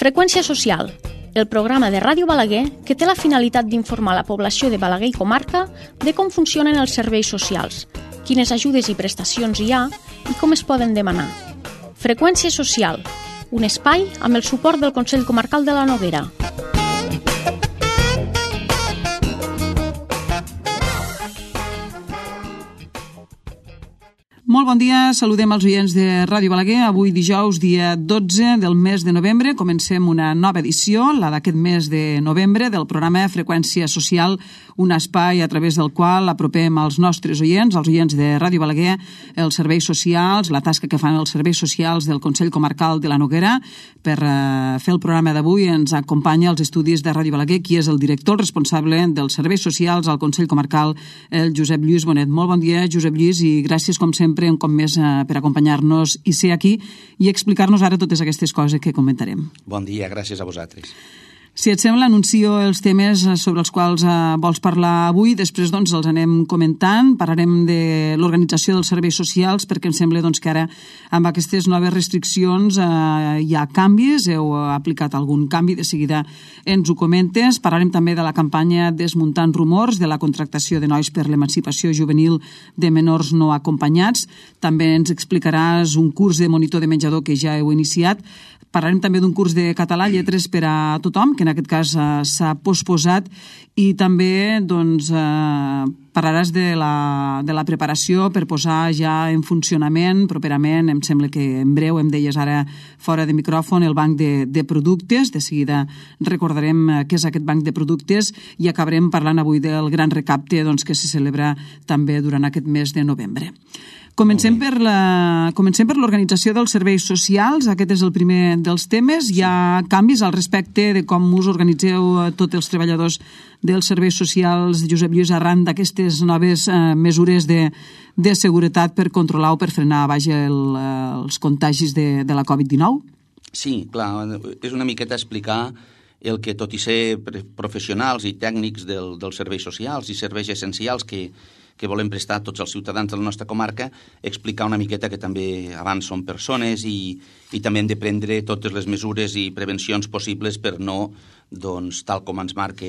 Freqüència social, el programa de Ràdio Balaguer que té la finalitat d'informar la població de Balaguer i comarca de com funcionen els serveis socials, quines ajudes i prestacions hi ha i com es poden demanar. Freqüència social, un espai amb el suport del Consell Comarcal de la Noguera. Molt bon dia, saludem els oients de Ràdio Balaguer. Avui dijous, dia 12 del mes de novembre, comencem una nova edició, la d'aquest mes de novembre, del programa Freqüència Social, un espai a través del qual apropem als nostres oients, els oients de Ràdio Balaguer, els serveis socials, la tasca que fan els serveis socials del Consell Comarcal de la Noguera. Per fer el programa d'avui ens acompanya als estudis de Ràdio Balaguer, qui és el director responsable dels serveis socials al Consell Comarcal, el Josep Lluís Bonet. Molt bon dia, Josep Lluís, i gràcies, com sempre, un cop més per acompanyar-nos i ser aquí i explicar-nos ara totes aquestes coses que comentarem. Bon dia, gràcies a vosaltres. Si et sembla, anuncio els temes sobre els quals vols parlar avui, després els anem comentant, parlarem de l'organització dels serveis socials, perquè em sembla que ara amb aquestes noves restriccions hi ha canvis, heu aplicat algun canvi, de seguida ens ho comentes. Parlarem també de la campanya Desmuntant Rumors, de la contractació de nois per l'emancipació juvenil de menors no acompanyats. També ens explicaràs un curs de monitor de menjador que ja heu iniciat. Parlarem també d'un curs de català, lletres per a tothom, que en aquest cas s'ha posposat, i també parlaràs de la preparació per posar ja en funcionament properament, em sembla que en breu, em deies ara fora de micròfon, el banc de productes. De seguida recordarem què és aquest banc de productes i acabarem parlant avui del gran recapte que se celebra també durant aquest mes de novembre. Comencem per l'organització dels serveis socials. Aquest és el primer dels temes. Hi ha canvis al respecte de com us organitzeu tots els treballadors dels serveis socials, Josep Lluís, arran d'aquestes noves mesures de seguretat per controlar o per frenar els contagis de la Covid-19? Sí, clar, és una miqueta explicar el que, tot i ser professionals i tècnics dels serveis socials i serveis essencials que volem prestar a tots els ciutadans de la nostra comarca, explicar una miqueta que també abans són persones i també hem de prendre totes les mesures i prevencions possibles per no, tal com ens marca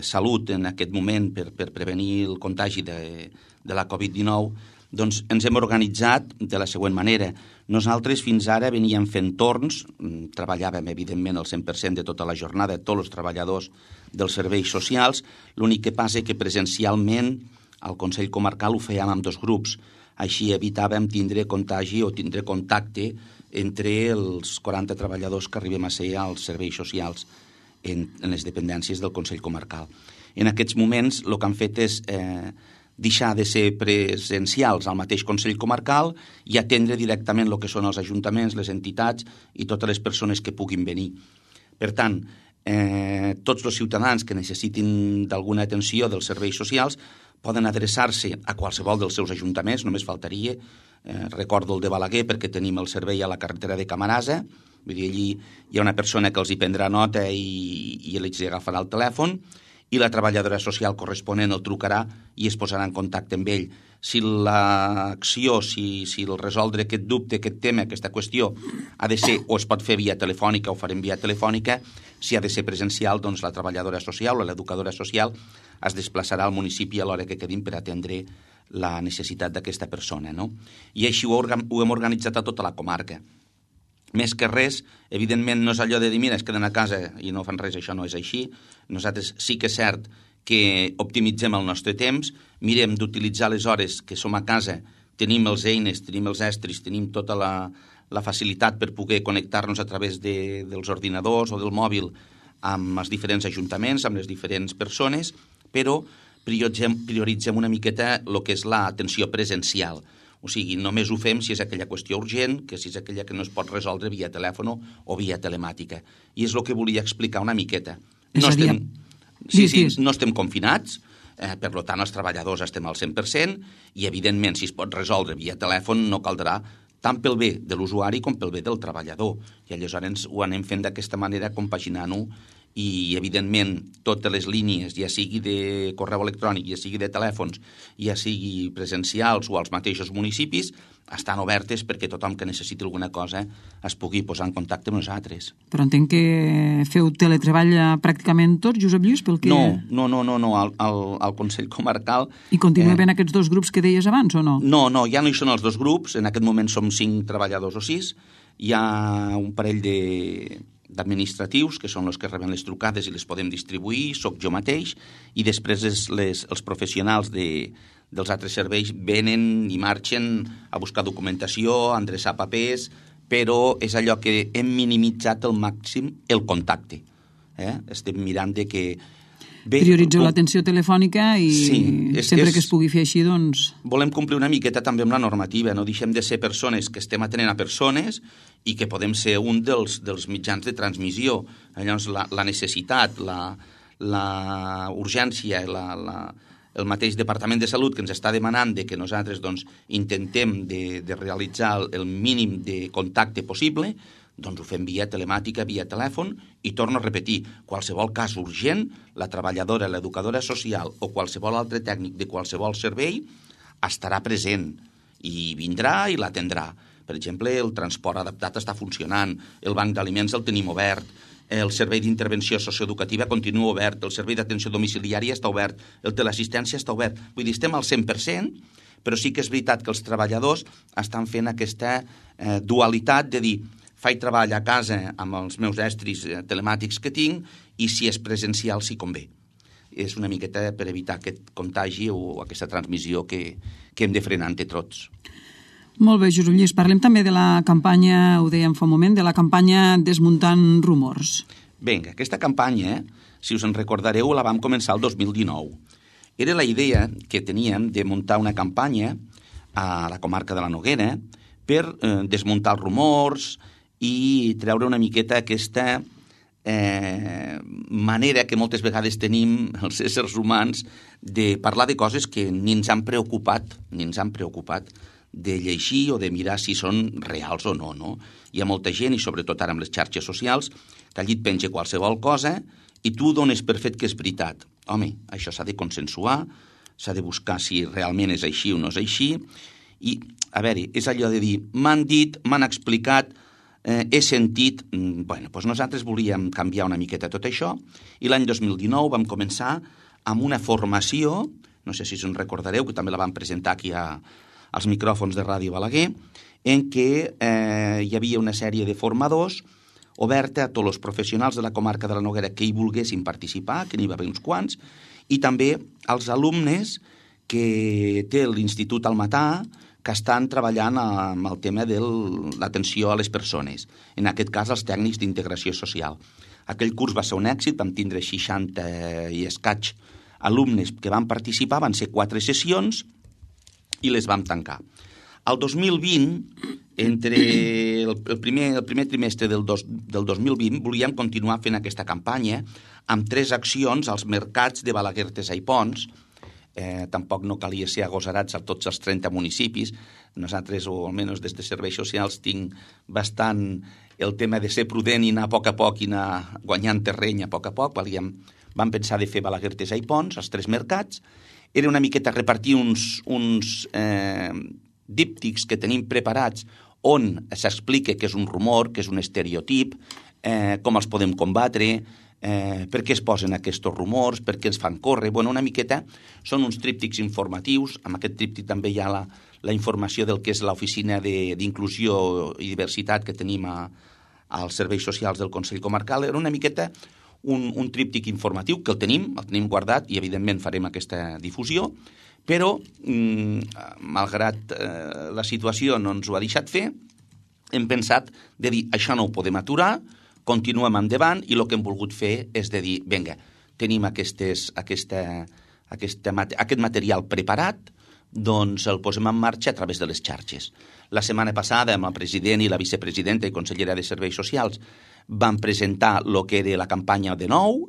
Salut en aquest moment per prevenir el contagi de la Covid-19, ens hem organitzat de la següent manera. Nosaltres fins ara veníem fent torns, treballàvem evidentment el 100% de tota la jornada, tots els treballadors dels serveis socials, l'únic que passa que presencialment al Consell Comarcal ho fèiem amb dos grups, així evitàvem tindre contagi o tindre contacte entre els 40 treballadors que arribem a ser als serveis socials en les dependències del Consell Comarcal. En aquests moments el que han fet és deixar de ser presencials al mateix Consell Comarcal i atendre directament el que són els ajuntaments, les entitats i totes les persones que puguin venir. Per tant, tots els ciutadans que necessitin d'alguna atenció dels serveis socials poden adreçar-se a qualsevol dels seus ajuntaments, només faltaria. Recordo el de Balaguer perquè tenim el servei a la carretera de Camarasa, vull dir, allí hi ha una persona que els hi prendrà nota i ells hi agafarà el telèfon, i la treballadora social corresponent el trucarà i es posarà en contacte amb ell. Si l'acció, si el resoldre aquest dubte, aquest tema, aquesta qüestió, ha de ser o es pot fer via telefònica o farem via telefònica, si ha de ser presencial, la treballadora social o l'educadora social es desplaçarà al municipi a l'hora que quedin per atendre la necessitat d'aquesta persona, no? I així ho hem organitzat a tota la comarca. Més que res, evidentment no és allò de dir, mira, es queden a casa i no fan res, això no és així. Nosaltres sí que és cert que optimitzem el nostre temps, mirem d'utilitzar les hores que som a casa, tenim les eines, tenim els estris, tenim tota la facilitat per poder connectar-nos a través dels ordinadors o del mòbil amb els diferents ajuntaments, amb les diferents persones, però prioritzem una miqueta el que és l'atenció presencial. O sigui, només ho fem si és aquella qüestió urgent, que si és aquella que no es pot resoldre via telèfon o via telemàtica. I és el que volia explicar una miqueta. No estem confinats, per tant els treballadors estem al 100% i evidentment si es pot resoldre via telèfon no caldrà tant pel bé de l'usuari com pel bé del treballador. I aleshores ho anem fent d'aquesta manera, compaginant-ho i, evidentment, totes les línies, ja sigui de correu electrònic, ja sigui de telèfons, ja sigui presencials o als mateixos municipis, estan obertes perquè tothom que necessiti alguna cosa es pugui posar en contacte amb nosaltres. Però entenc que feu teletreball pràcticament tots, Josep Lluís, pel que... No, al Consell Comarcal... I continua havent aquests dos grups que deies abans, o no? No, ja no hi són els dos grups, en aquest moment som 5 treballadors o 6, hi ha un parell d'administratius, que són els que reben les trucades i les podem distribuir, soc jo mateix, i després els professionals dels altres serveis venen i marxen a buscar documentació, a endreçar papers, però és allò que hem minimitzat al màxim el contacte. Estem mirant de que... Prioritzeu l'atenció telefònica i sempre que es pugui fer així, doncs... Volem complir una miqueta també amb la normativa, no deixem de ser persones que estem atenent a persones i que podem ser un dels mitjans de transmissió. Llavors, la necessitat, la urgència, el mateix Departament de Salut que ens està demanant de que nosaltres doncs, intentem de realitzar el mínim de contacte possible, doncs ho fem via telemàtica, via telèfon, i torno a repetir, qualsevol cas urgent, la treballadora, l'educadora social o qualsevol altre tècnic de qualsevol servei estarà present i vindrà i l'atendrà. Per exemple, el transport adaptat està funcionant, el banc d'aliments el tenim obert, el servei d'intervenció socioeducativa continua obert, el servei d'atenció domiciliària està obert, el teleassistència està obert. Vull dir, estem al 100%, però sí que és veritat que els treballadors estan fent aquesta dualitat de dir faig treball a casa amb els meus estris telemàtics que tinc i si és presencial si convé. És una miqueta per evitar aquest contagi o aquesta transmissió que hem de frenar entre tots. Molt bé, Josep Lluís. Parlem també de la campanya, ho dèiem fa un moment, de la campanya Desmuntant Rumors. Vinga, aquesta campanya, si us en recordareu, la vam començar el 2019. Era la idea que teníem de muntar una campanya a la comarca de la Noguera per desmuntar els rumors i treure una miqueta aquesta manera que moltes vegades tenim els éssers humans de parlar de coses que ni ens han preocupat de llegir o de mirar si són reals o no, no? Hi ha molta gent, i sobretot ara amb les xarxes socials, que allí et penja qualsevol cosa i tu dones per fet que és veritat. Home, això s'ha de consensuar, s'ha de buscar si realment és així o no és així, i, a veure, és allò de dir, m'han dit, m'han explicat, he sentit... Bueno, doncs nosaltres volíem canviar una miqueta tot això, i l'any 2019 vam començar amb una formació, no sé si us en recordareu, que també la vam presentar aquí als micròfons de Ràdio Balaguer, en què hi havia una sèrie de formadors oberta a tots els professionals de la comarca de la Noguera que hi volguessin participar, que n'hi va haver uns quants, i també als alumnes que té l'Institut Almatà, que estan treballant amb el tema de l'atenció a les persones, en aquest cas els tècnics d'integració social. Aquell curs va ser un èxit, vam tindre 60 i escaig alumnes que van participar, van ser 4 sessions i les vam tancar. El 2020, entre el primer trimestre del 2020, volíem continuar fent aquesta campanya amb 3 accions als mercats de Balaguer, Artesa i Pons. Tampoc no calia ser agosarats a tots els 30 municipis. Nosaltres, o almenys des de serveis socials, tinc bastant el tema de ser prudent i anar a poc i anar guanyant terreny a poc. Vam pensar de fer Balaguer, Artesa i Pons, els 3 mercats. Era una miqueta repartir uns díptics que tenim preparats on s'explica què és un rumor, què és un estereotip, com els podem combatre, per què es posen aquests rumors, per què els fan córrer. Bueno, una miqueta són uns tríptics informatius. Amb aquest tríptic també hi ha la informació del que és l'oficina d'inclusió i diversitat que tenim als serveis socials del Consell Comarcal. Era una miqueta un tríptic informatiu que el tenim guardat i evidentment farem aquesta difusió, però malgrat la situació no ens ho ha deixat fer, hem pensat de dir això no ho podem aturar, continuem endavant i el que hem volgut fer és de dir, vinga, tenim aquest material preparat, doncs el posem en marxa a través de les xarxes. La setmana passada, amb el president i la vicepresidenta i consellera de Serveis Socials, vam presentar el que era la campanya de nou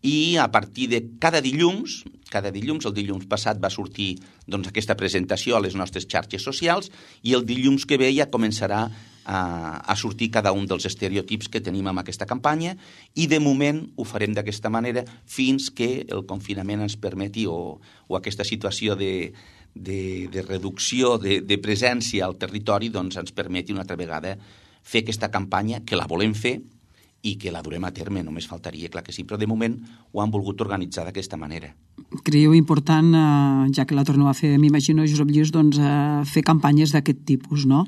i a partir de cada dilluns, el dilluns passat va sortir doncs, aquesta presentació a les nostres xarxes socials i el dilluns que ve ja començarà a sortir cada un dels estereotips que tenim en aquesta campanya i de moment ho farem d'aquesta manera fins que el confinament ens permeti o aquesta situació de reducció de presència al territori doncs ens permeti una altra vegada fer aquesta campanya que la volem fer i que la durem a terme, només faltaria, clar que sí, però de moment ho han volgut organitzar d'aquesta manera. Creieu important, ja que la torneu a fer, m'imagino, Josep Lluís, doncs, fer campanyes d'aquest tipus, no?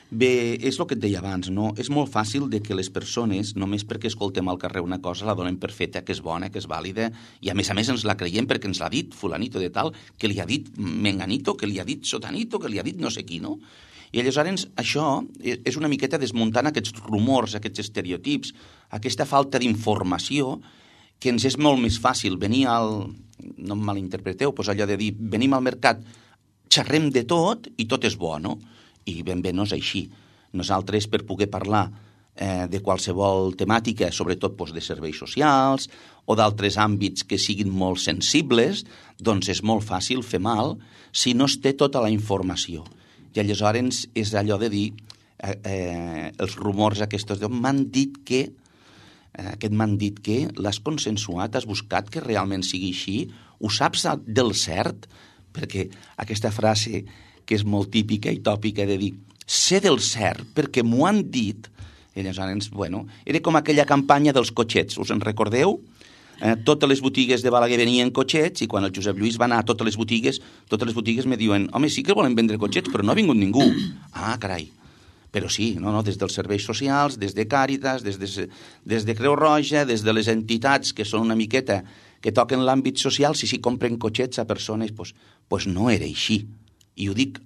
Bé, és el que et deia abans, no? És molt fàcil de que les persones, només perquè escoltem al carrer una cosa, la donem per feta, que és bona, que és vàlida, i a més ens la creiem perquè ens l'ha dit fulanito de tal, que li ha dit menganito, que li ha dit sotanito, que li ha dit no sé qui, no? I aleshores això és una miqueta desmuntant aquests rumors, aquests estereotips, aquesta falta d'informació que ens és molt més fàcil venir no em malinterpreteu, doncs allò de dir venim al mercat, xerrem de tot i tot és bo, no? I ben bé no és així. Nosaltres, per poder parlar de qualsevol temàtica, sobretot doncs, de serveis socials o d'altres àmbits que siguin molt sensibles, doncs és molt fàcil fer mal si no es té tota la informació. I aleshores és allò de dir els rumors aquests m'han dit que l'has consensuat, has buscat que realment sigui així, ho saps del cert? Perquè aquesta frase que és molt típica i tòpica de dir sé del cert perquè m'ho han dit, i aleshores, bueno, era com aquella campanya dels cotxets, us en recordeu? Totes les botigues de Balaguer venien cotxets i quan el Josep Lluís va anar a totes les botigues me diuen home, sí que volen vendre cotxets, però no ha vingut ningú. Ah, carai. Però sí, des dels serveis socials, des de Càritas, des de Creu Roja, des de les entitats que són una miqueta que toquen l'àmbit social, si compren cotxets a persones, doncs no era així. I ho dic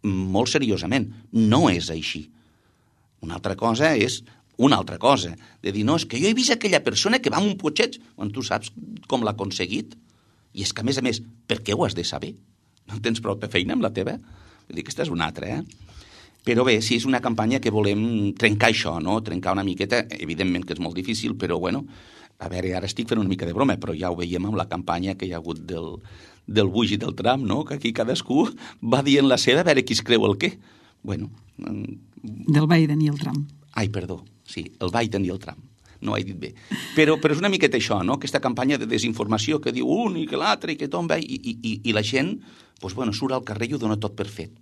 molt seriosament, no és així. Una altra cosa és una altra cosa, de dir, no, és que jo he vist aquella persona que va amb un cotxet, quan tu saps com l'ha aconseguit, i és que a més, per què ho has de saber? No tens prou feina amb la teva? Vull dir que aquesta és una altra, Però bé, sí, és una campanya que volem trencar això, no? Trencar una miqueta, evidentment que és molt difícil, però bueno, a veure, ara estic fent una mica de broma, però ja ho veiem amb la campanya que hi ha hagut del Buix i del Tram, no? Que aquí cadascú va dient la seva a veure qui es creu el què. Bueno... Del Biden i el Tram. Ai, perdó, sí, el Biden i el Tram. No ho he dit bé. Però és una miqueta això, no? Aquesta campanya de desinformació que diu un i que l'altre i que tomba i la gent surt al carrer i ho dona tot per fet.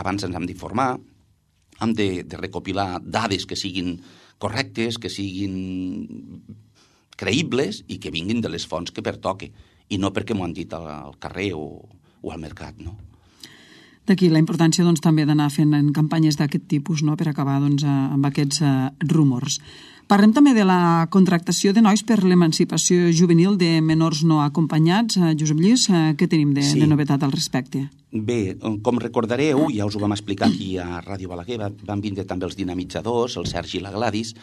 Abans ens hem d'informar, hem de recopilar dades que siguin correctes, que siguin creïbles i que vinguin de les fonts que pertoque i no perquè m'ho han dit al carrer o al mercat, no? D'aquí la importància també d'anar fent campanyes d'aquest tipus, no?, per acabar amb aquests rumors. Parlem també de la contractació de nois per l'emancipació juvenil de menors no acompanyats. Josep Lluís, què tenim de novetat al respecte? Bé, com recordareu, ja us ho vam explicar aquí a Ràdio Balaguer, van vindre també els dinamitzadors, el Sergi i la Gladys,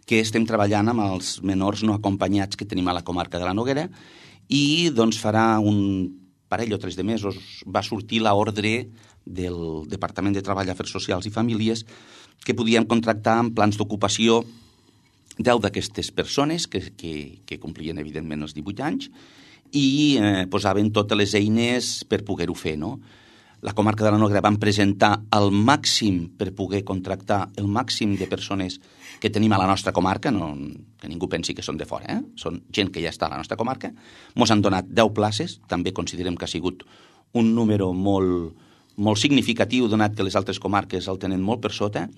que estem treballant amb els menors no acompanyats que tenim a la comarca de la Noguera i farà un parell o 3 de mesos va sortir l'ordre del Departament de Treball, Afers Socials i Famílies que podíem contractar en plans d'ocupació 10 d'aquestes persones que complien evidentment els 18 anys i posaven totes les eines per poder-ho fer, no? La comarca de la Noguera van presentar el màxim per poder contractar el màxim de persones que tenim a la nostra comarca, que ningú pensi que són de fora, són gent que ja està a la nostra comarca. Mos han donat 10 places, també considerem que ha sigut un número molt significatiu, donat que les altres comarques el tenen molt per sota,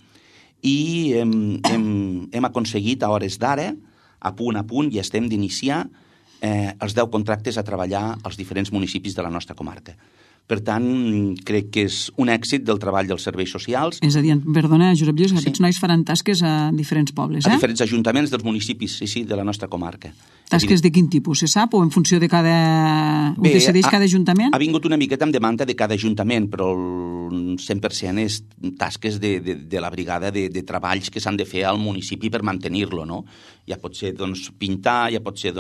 i hem aconseguit a hores d'ara, a punt, i estem d'iniciar els 10 contractes a treballar als diferents municipis de la nostra comarca. Per tant, crec que és un èxit del treball dels serveis socials. És a dir, perdona, Josep Lluís, aquests nois faran tasques a diferents pobles, A diferents ajuntaments dels municipis, sí, de la nostra comarca. Tasques de quin tipus, se sap? O en funció de cada... Ho decideix cada ajuntament? Ha vingut una miqueta amb demanda de cada ajuntament, però el 100% és tasques de la brigada de treballs que s'han de fer al municipi per mantenir-lo, no? Ja pot ser, pintar, ja pot ser,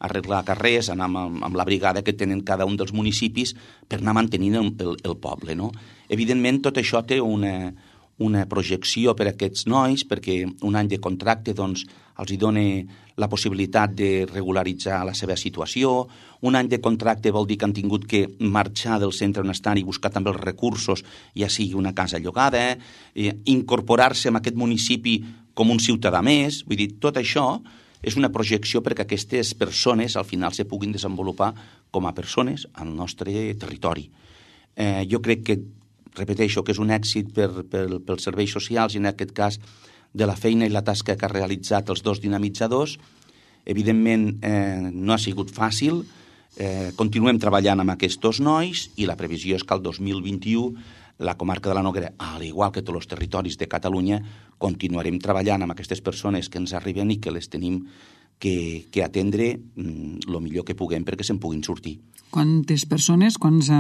arreglar carrers, anar amb la brigada que tenen cada un dels municipis per anar mantenint el poble, no? Evidentment, tot això té una projecció per a aquests nois, perquè un any de contracte doncs, els hi dona la possibilitat de regularitzar la seva situació. Un any de contracte vol dir que han tingut que marxar del centre on estan i buscar també els recursos, ja sigui una casa llogada, incorporar-se en aquest municipi com un ciutadà més. Vull dir, tot això és una projecció perquè aquestes persones al final se puguin desenvolupar com a persones al nostre territori. Jo crec que, repeteixo, que és un èxit pels serveis socials i en aquest cas de la feina i la tasca que ha realitzat els dos dinamitzadors. Evidentment no ha sigut fàcil, continuem treballant amb aquests dos nois i la previsió és que el 2021 la comarca de la Noguera, al igual que tots els territoris de Catalunya, continuarem treballant amb aquestes persones que ens arriben i que les tenim que atendre el millor que puguem perquè se'n puguin sortir. Quantes persones, quants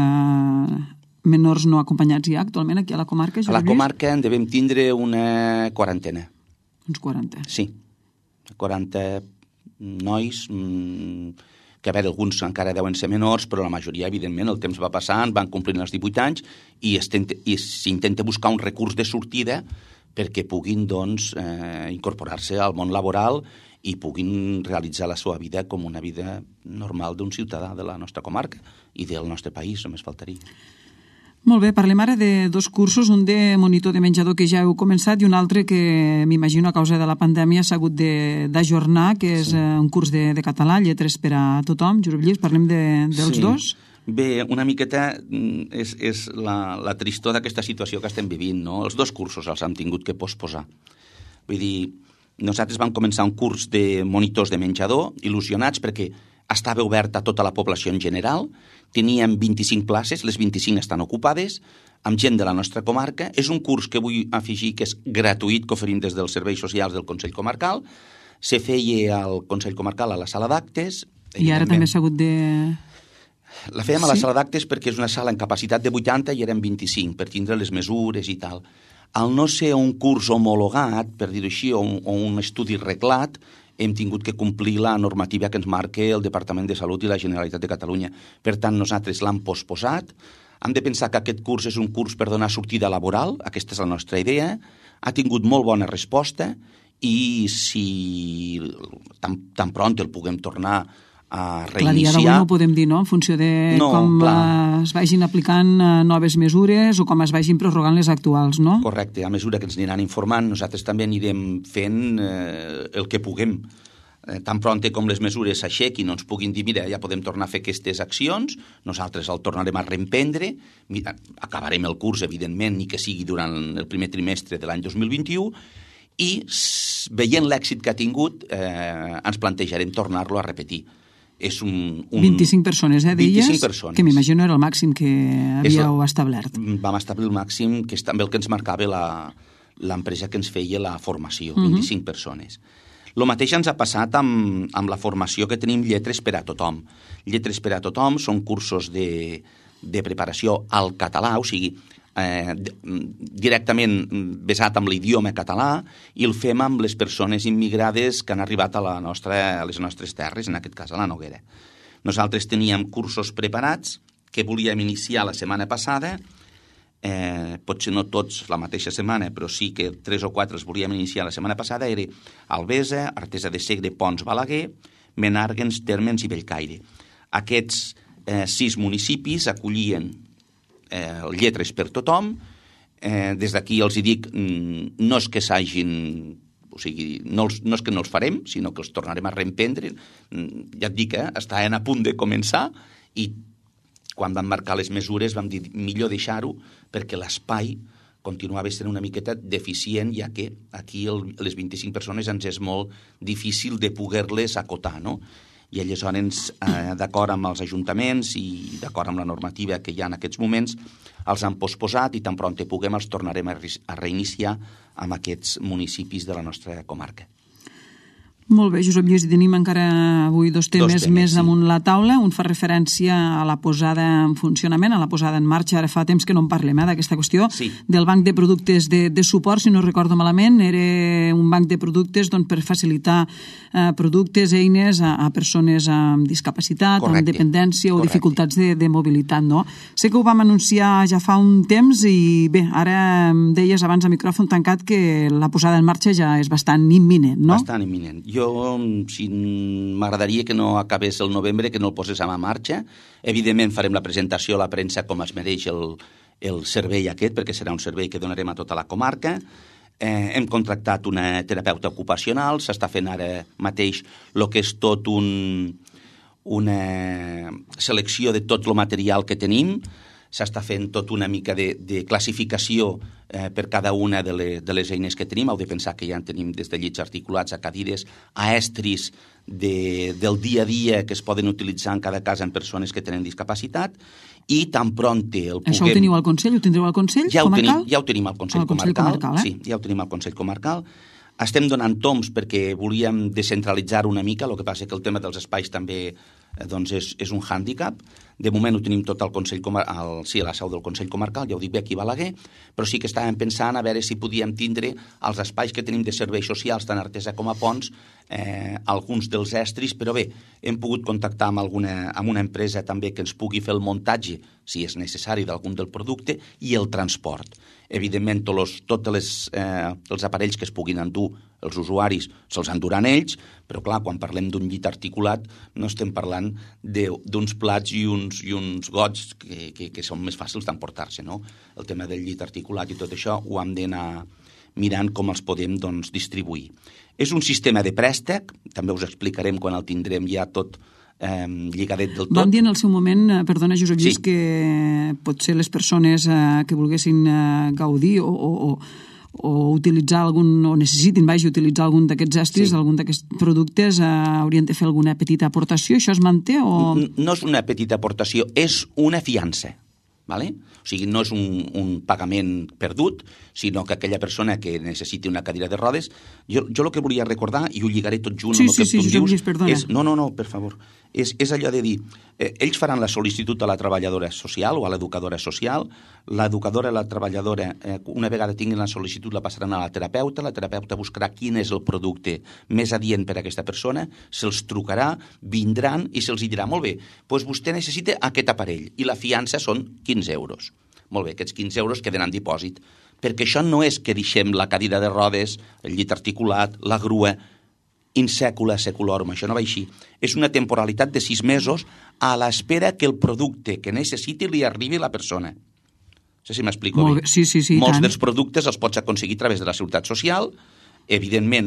menors no acompanyats hi ha actualment aquí a la comarca? A la comarca en devem tindre una quarantena. Uns 40? Sí, 40 nois, que a veure, alguns encara deuen ser menors, però la majoria, evidentment, el temps va passant, van complint els 18 anys i s'intenta buscar un recurs de sortida perquè puguin doncs, incorporar-se al món laboral i puguin realitzar la seva vida com una vida normal d'un ciutadà de la nostra comarca i del nostre país, només faltaria. Molt bé, parlem ara de dos cursos, un de monitor de menjador que ja heu començat i un altre que m'imagino a causa de la pandèmia s'ha hagut d'ajornar, que és un curs de català, lletres per a tothom. Josep Lluís, parlem dels dos? Bé, una miqueta és la tristor d'aquesta situació que estem vivint, no? Els dos cursos els hem tingut que posposar. Vull dir, nosaltres vam començar un curs de monitors de menjador, il·lusionats perquè estava obert a tota la població en general, teníem 25 places, les 25 estan ocupades, amb gent de la nostra comarca. És un curs que vull afegir que és gratuït, que oferim des dels serveis socials del Consell Comarcal. Se feia al Consell Comarcal a la sala d'actes. I ara també s'ha hagut de... La fèiem a la sala d'actes perquè és una sala en capacitat de 80 i eren 25, per tindre les mesures i tal. Al no ser un curs homologat, per dir-ho així, o un estudi reglat, hem tingut que complir la normativa que ens marca el Departament de Salut i la Generalitat de Catalunya. Per tant, nosaltres l'hem posposat. Hem de pensar que aquest curs és un curs per donar sortida laboral, aquesta és la nostra idea. Ha tingut molt bona resposta i si tan pront el puguem tornar a reiniciar... Clar, dia d'avui no ho podem dir, no?, en funció de com es vagin aplicant noves mesures o com es vagin prorrogant les actuals, no? Correcte, a mesura que ens aniran informant, nosaltres també anirem fent el que puguem. Tan pront com les mesures s'aixequin, no ens puguin dir, mira, ja podem tornar a fer aquestes accions, nosaltres el tornarem a reemprendre, acabarem el curs, evidentment, ni que sigui durant el primer trimestre de l'any 2021, i veient l'èxit que ha tingut, ens plantejarem tornar-lo a repetir. És 25 persones, deies? 25 persones. Que m'imagino era el màxim que havíeu establert. Vam establir el màxim, que és també el que ens marcava l'empresa que ens feia la formació, 25 persones. El mateix ens ha passat amb la formació que tenim Lletres per a tothom. Lletres per a tothom són cursos de preparació al català, o sigui, directament basat en l'idioma català, i el fem amb les persones immigrades que han arribat a les nostres terres, en aquest cas a la Noguera. Nosaltres teníem cursos preparats que volíem iniciar la setmana passada, potser no tots la mateixa setmana, però sí que 3 o 4 els volíem iniciar la setmana passada, era Albesa, Artesa de Segre, Pons, Balaguer, Menàrguens, Térmens i Bellcaire. Aquests 6 municipis acollien Lletres per tothom. Des d'aquí els hi dic, no és que s'hagin... O sigui, no és que no els farem, sinó que els tornarem a reemprendre. Ja et dic, estaven a punt de començar i quan vam marcar les mesures vam dir millor deixar-ho perquè l'espai continuava sent una miqueta deficient, ja que aquí les 25 persones ens és molt difícil de poder-les acotar, no? I aleshores, d'acord amb els ajuntaments i d'acord amb la normativa que hi ha en aquests moments, els han posposat i tan pront puguem els tornarem a reiniciar amb aquests municipis de la nostra comarca. Molt bé, Josep Lluís, tenim encara avui dos temes més damunt la taula. Un fa referència a la posada en funcionament, a la posada en marxa. Ara fa temps que no en parlem, d'aquesta qüestió, del banc de productes de suport, si no recordo malament. Era un banc de productes per facilitar productes, eines a persones amb discapacitat, amb dependència o dificultats de mobilitat, no? Sé que ho vam anunciar ja fa un temps i bé, ara deies abans a micròfon tancat que la posada en marxa ja és bastant imminent, no? Bastant imminent. Jo, si m'agradaria que no acabés el novembre, que no el poséssim a marxa. Evidentment farem la presentació a la premsa com es mereix el servei aquest, perquè serà un servei que donarem a tota la comarca. Hem contractat una terapeuta ocupacional, s'està fent ara mateix el que és tot una selecció de tot el material que tenim, s'està fent tot una mica de classificació per cada una de les eines que tenim. Heu de pensar que ja en tenim des de llits articulats a cadires, a estris del dia a dia que es poden utilitzar en cada cas en persones que tenen discapacitat, i tan pronte el puguem... Això ho teniu al Consell? Ho tindreu al Consell comarcal? Ja ho tenim al Consell comarcal. Sí, ja ho tenim al Consell comarcal. Estem donant tombs perquè volíem descentralitzar una mica, el que passa que el tema dels espais també és un hàndicap. De moment ho tenim tot al Consell Comarcal, sí, a la seu del Consell Comarcal, ja ho dic bé aquí a Balaguer, però sí que estàvem pensant a veure si podíem tindre els espais que tenim de serveis socials, tant Artesa com a Ponts, alguns dels estris, però bé, hem pogut contactar amb una empresa també que ens pugui fer el muntatge, si és necessari, d'algun del producte, i el transport. Evidentment, tots els aparells que es puguin endur els usuaris se'ls enduran ells, però clar, quan parlem d'un llit articulat no estem parlant d'uns plats i uns gots que són més fàcils d'emportar-se, no? El tema del llit articulat i tot això ho hem d'anar mirant com els podem distribuir. És un sistema de préstec, també us explicarem quan el tindrem ja tot lligadet del tot. Vam dir en el seu moment, perdona Josep Lluís, que potser les persones que volguessin gaudir o utilitzar o necessitin utilitzar algun d'aquests estris, algun d'aquests productes, haurien de fer alguna petita aportació. Això es manté o...? No és una petita aportació, és una fiança. Vale? O sigui, no és un pagament perdut, sinó que aquella persona que necessiti una cadira de rodes... Jo el que volia recordar, i ho lligaré tot junt amb el que tu em dius, és... No, per favor. És allò de dir, ells faran la sol·licitud a la treballadora social o a l'educadora social, l'educadora i la treballadora, una vegada tinguin la sol·licitud, la passaran a la terapeuta buscarà quin és el producte més adient per a aquesta persona, se'ls trucarà, vindran i se'ls dirà, molt bé, doncs vostè necessita aquest aparell, i la fiança són 15 euros. Molt bé, aquests 15 euros queden en dipòsit, perquè això no és que deixem la cadira de rodes, el llit articulat, la grua, in secula seculorum, això no va així. És una temporalitat de 6 mesos a l'espera que el producte que necessiti li arribi a la persona. No sé si m'explico bé. Sí, molts dels productes els pots aconseguir a través de la Seguretat Social. Evidentment,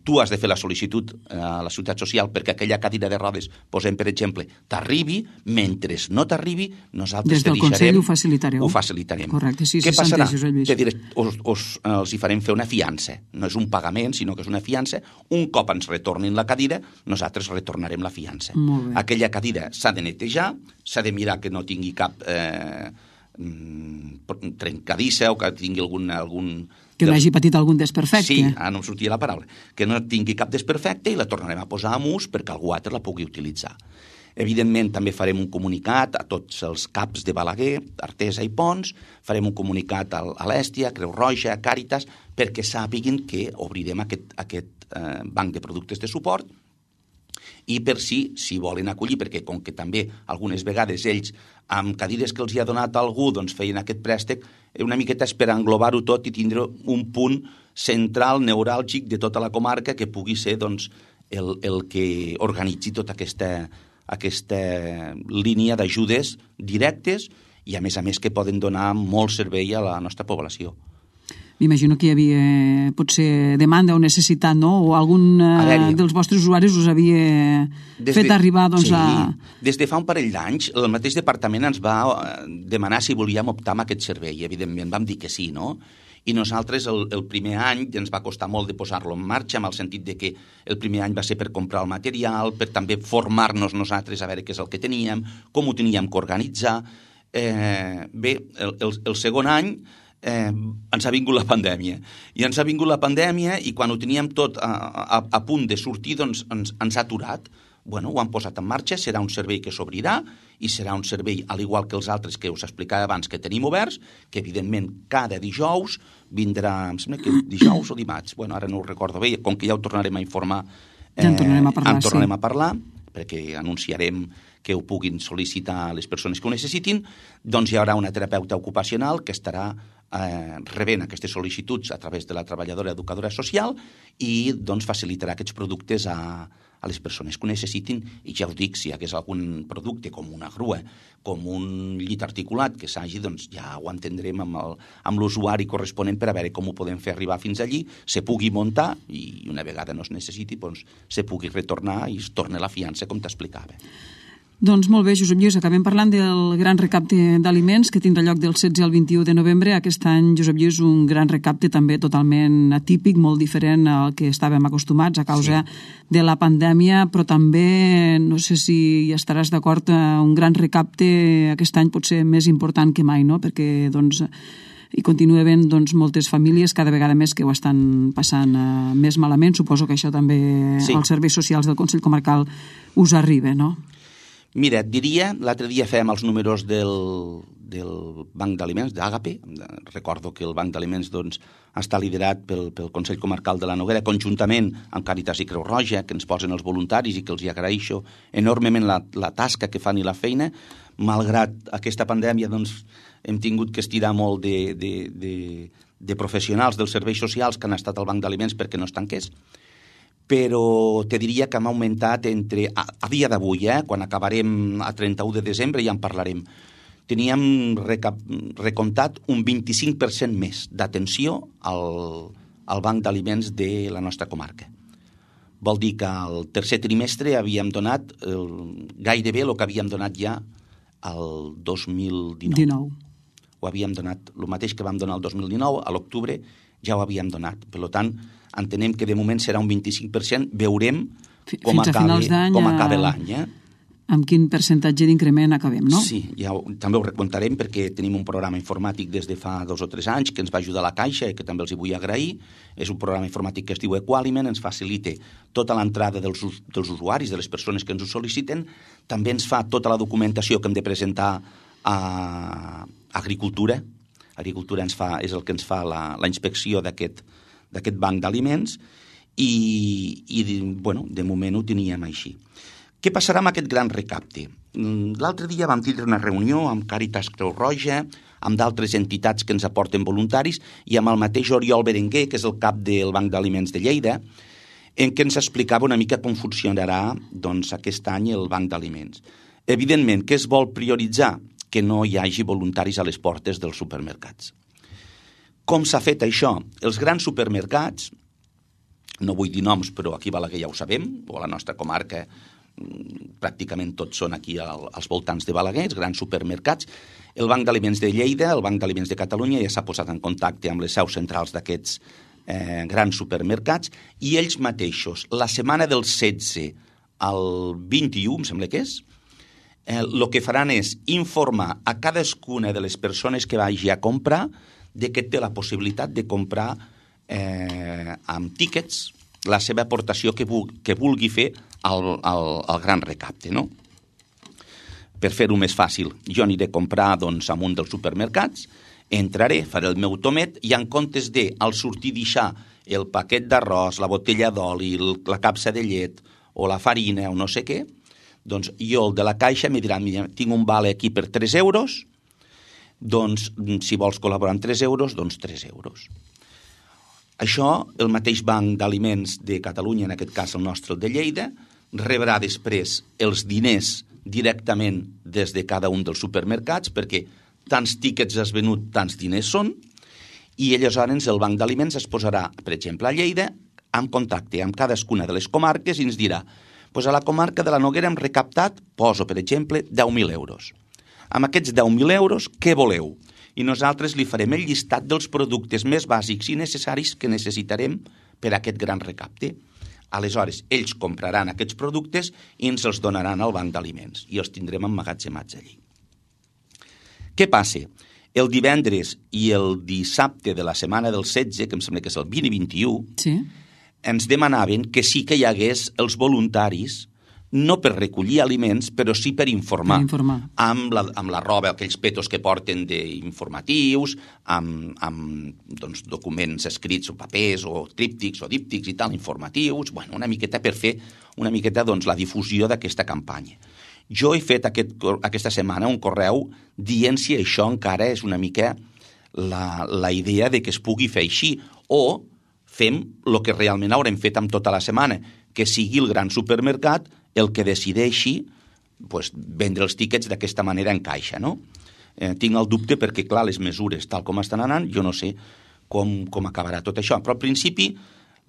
tu has de fer la sol·licitud a la Seguretat Social perquè aquella cadira de rodes, posem per exemple, t'arribi. Mentre no t'arribi, nosaltres te deixarem... Des del Consell ho facilitareu. Ho facilitarem. Correcte, sí, què passarà? Te diré, els hi farem fer una fiança. No és un pagament, sinó que és una fiança. Un cop ens retornin la cadira, nosaltres retornarem la fiança. Aquella cadira s'ha de netejar, s'ha de mirar que no tingui cap trencadissa o que tingui algun que no hagi patit algun desperfecte. Sí, no em sortia la paraula. Que no tingui cap desperfecte i la tornarem a posar en ús perquè algú altre la pugui utilitzar. Evidentment, també farem un comunicat a tots els CAPs de Balaguer, Artesa i Ponts, farem un comunicat a l'Èstia, a Creu Roja, a Càritas, perquè sàpiguin que obrirem aquest banc de productes de suport i per si volen acollir, perquè com que també algunes vegades ells amb cadires que els hi ha donat algú doncs feien aquest préstec, una miqueta és per englobar-ho tot i tindre un punt central, neuràlgic de tota la comarca que pugui ser doncs, el que organitzi tota aquesta línia d'ajudes directes i a més que poden donar molt servei a la nostra població. M'imagino que hi havia potser demanda o necessitat, no? O algun dels vostres usuaris us havia fet arribar doncs, Des de fa un parell d'anys, el mateix departament ens va demanar si volíem optar amb aquest servei. Evidentment, vam dir que sí, no? I nosaltres el primer any ens va costar molt de posar-lo en marxa, en el sentit de que el primer any va ser per comprar el material, per també formar-nos nosaltres a veure què és el que teníem, com ho teníem que organitzar. Bé, el segon any ens ha vingut la pandèmia. I ens ha vingut la pandèmia i quan ho teníem tot a punt de sortir, doncs ens ha aturat. Bueno, ho han posat en marxa, serà un servei que s'obrirà i serà un servei, al igual que els altres que us explicava abans que tenim oberts, que evidentment cada dijous vindrà, em sembla que dijous o dimarts, bueno, ara no ho recordo bé, com que ja ho tornarem a informar, ja en tornarem a parlar, perquè anunciarem que ho puguin sol·licitar les persones que ho necessitin, doncs hi haurà una terapeuta ocupacional que estarà rebent aquestes sol·licituds a través de la treballadora educadora social i doncs facilitarà aquests productes a les persones que ho necessitin. I ja us dic, si hi hagués algun producte com una grua, com un llit articulat que s'hagi, doncs ja ho entendrem amb l'usuari corresponent per a veure com ho podem fer arribar fins allí, se pugui muntar i una vegada no es necessiti, doncs se pugui retornar i es torna la fiança, com t'explicava. Doncs molt bé, Josep Lluís, acabem parlant del gran recapte d'aliments que tindrà lloc del 16 al 21 de novembre. Aquest any, Josep Lluís, un gran recapte també totalment atípic, molt diferent al que estàvem acostumats a causa de la pandèmia, però també, no sé si hi estaràs d'acord, un gran recapte aquest any pot ser més important que mai, no? Perquè, doncs, hi continua havent moltes famílies cada vegada més que ho estan passant més malament. Suposo que això també als serveis socials del Consell Comarcal us arriba, no? Mira, et diria, l'altre dia fèiem els números del Banc d'Aliments, d'Àgape. Recordo que el Banc d'Aliments està liderat pel Consell Comarcal de la Noguera, conjuntament amb Càritas i Creu Roja, que ens posen els voluntaris i que els hi agraeixo enormement la tasca que fan i la feina. Malgrat aquesta pandèmia, hem tingut que estirar molt de professionals dels serveis socials que han estat al Banc d'Aliments perquè no es tanqués. Però te diria que hem augmentat a dia d'avui, quan acabarem a 31 de desembre ja en parlarem, teníem recomptat un 25% més d'atenció al Banc d'Aliments de la nostra comarca. Vol dir que al tercer trimestre havíem donat gairebé el que havíem donat ja el 2019. Ho havíem donat, el mateix que vam donar el 2019, a l'octubre ja ho havíem donat. Per tant, entenem que de moment serà un 25%, veurem com acaba l'any. Amb quin percentatge d'increment acabem, no? Sí, també ho recontarem perquè tenim un programa informàtic des de fa 2 o 3 anys que ens va ajudar la Caixa i que també els hi vull agrair. És un programa informàtic que es diu Equaliment, ens facilita tota l'entrada dels usuaris, de les persones que ens ho sol·liciten. També ens fa tota la documentació que hem de presentar a Agricultura. Agricultura és el que ens fa la inspecció d'aquest banc d'aliments i de moment ho teníem així. Què passarà amb aquest gran recapte? L'altre dia vam tindre una reunió amb Càritas Creu Roja, amb d'altres entitats que ens aporten voluntaris i amb el mateix Oriol Berenguer, que és el cap del Banc d'Aliments de Lleida, en què ens explicava una mica com funcionarà aquest any el Banc d'Aliments. Evidentment, què es vol prioritzar? Que no hi hagi voluntaris a les portes dels supermercats. Com s'ha fet això? Els grans supermercats, no vull dir noms, però aquí a Balaguer ja ho sabem, o a la nostra comarca pràcticament tots són aquí als voltants de Balaguer, els grans supermercats. El Banc d'Aliments de Lleida, el Banc d'Aliments de Catalunya ja s'ha posat en contacte amb les seus centrals d'aquests grans supermercats i ells mateixos, la setmana del 16 al 21, em sembla que és, el que faran és informar a cadascuna de les persones que vagi a comprar de que té la possibilitat de comprar amb tíquets la seva aportació que vulgui fer al gran recapte, no? Per fer-ho més fàcil, jo aniré a comprar amb un dels supermercats, entraré, faré el meu tomet i en comptes de, al sortir, deixar el paquet d'arròs, la botella d'oli, la capsa de llet o la farina o no sé què, doncs jo, el de la caixa, me dirà, tinc un vale aquí per 3 euros, doncs si vols col·laborar amb 3 euros, doncs 3 euros. Això, el mateix Banc d'Aliments de Catalunya, en aquest cas el nostre, el de Lleida, rebrà després els diners directament des de cada un dels supermercats, perquè tants tíquets has venut, tants diners són, i aleshores el Banc d'Aliments es posarà, per exemple, a Lleida, en contacte amb cadascuna de les comarques i ens dirà, doncs a la comarca de la Noguera hem recaptat, poso, per exemple, 10.000 euros. Amb aquests 10.000 euros, què voleu? I nosaltres li farem el llistat dels productes més bàsics i necessaris que necessitarem per a aquest gran recapte. Aleshores, ells compraran aquests productes i ens els donaran al Banc d'Aliments i els tindrem emmagatzemats allí. Què passa? El divendres i el dissabte de la setmana del 16, que em sembla que és el 20 i 21, Sí. ens demanaven que sí que hi hagués els voluntaris, no per recollir aliments, però sí per informar. Per informar. Amb la roba, aquells petos que porten d'informatius, amb doncs, documents escrits o papers o tríptics o díptics i tal, informatius, bueno, una miqueta per fer una miqueta doncs, la difusió d'aquesta campanya. Jo he fet aquesta setmana un correu dient si això encara és una mica la idea de que es pugui fer així, o fem el que realment haurem fet amb tota la setmana, que sigui el gran supermercat el que decideixi pues, vendre els tíquets d'aquesta manera en caixa, no? Tinc el dubte perquè, clar, les mesures tal com estan anant, jo no sé com acabarà tot això, però al principi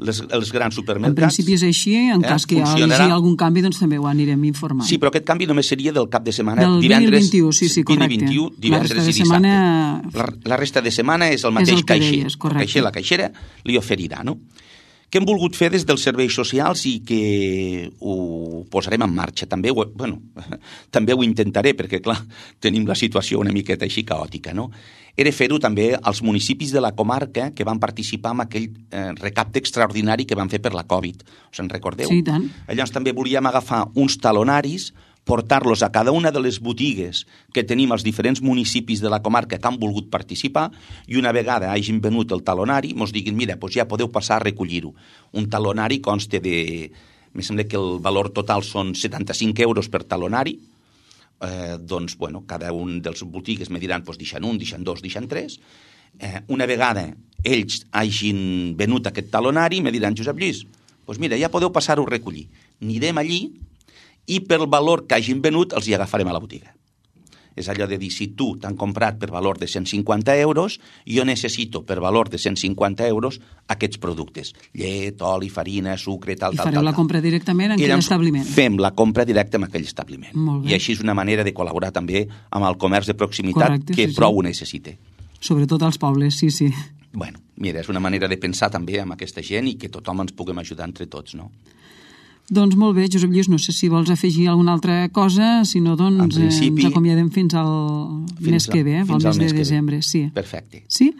els grans supermercats... En principi és així, en cas que hi hagi algun canvi, doncs també ho anirem informant. Sí, però aquest canvi només seria del cap de setmana, del divendres... Del 21, sí, correcte. 20 i 21, divendres i dissabte. La resta de setmana és el mateix caixer. El caixer, la caixera, li oferirà, no? Què hem volgut fer des dels serveis socials i que ho posarem en marxa. També ho intentaré, perquè, clar, tenim la situació una miqueta així caòtica, no? Era fer-ho també als municipis de la comarca que van participar en aquell recapte extraordinari que van fer per la Covid. Us en recordeu? Sí, tant. Llavors també volíem agafar uns talonaris, portar-los a cada una de les botigues que tenim als diferents municipis de la comarca que han volgut participar, i una vegada hagin venut el talonari, ens diguin, mira, doncs ja podeu passar a recollir-ho. Un talonari consta de... Em sembla que el valor total són 75 euros per talonari, doncs, bueno, cada un dels botigues me diran, doncs, deixen un, deixen dos, deixen tres. Una vegada ells hagin venut aquest talonari, me diran, Josep Lluís, doncs mira, ja podeu passar-ho a recollir. Anirem allí i pel valor que hagin venut els hi agafarem a la botiga. És allò de dir, si tu t'han comprat per valor de 150 euros, jo necessito per valor de 150 euros aquests productes. Llet, oli, farina, sucre, tal. I fareu la compra directament en aquell establiment. Fem la compra directa en aquell establiment. I així és una manera de col·laborar també amb el comerç de proximitat. Correcte, que sí, prou ho necessita. Sobretot als pobles, sí, sí. Bueno, mira, és una manera de pensar també amb aquesta gent i que tothom ens puguem ajudar entre tots, no? Doncs molt bé, Josep Lluís, no sé si vols afegir alguna altra cosa, si no, doncs ens acomiadem fins al mes que ve, al mes de desembre. Sí. Perfecte. Sí?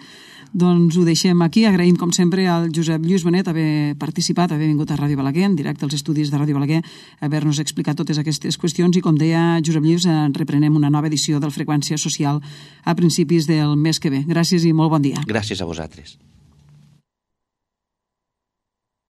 Doncs ho deixem aquí. Agraïm, com sempre, al Josep Lluís Benet haver participat, haver vingut a Ràdio Balaguer, en directe als estudis de Ràdio Balaguer, haver-nos explicat totes aquestes qüestions i, com deia Josep Lluís, reprenem una nova edició del Freqüència Social a principis del mes que ve. Gràcies i molt bon dia. Gràcies a vosaltres.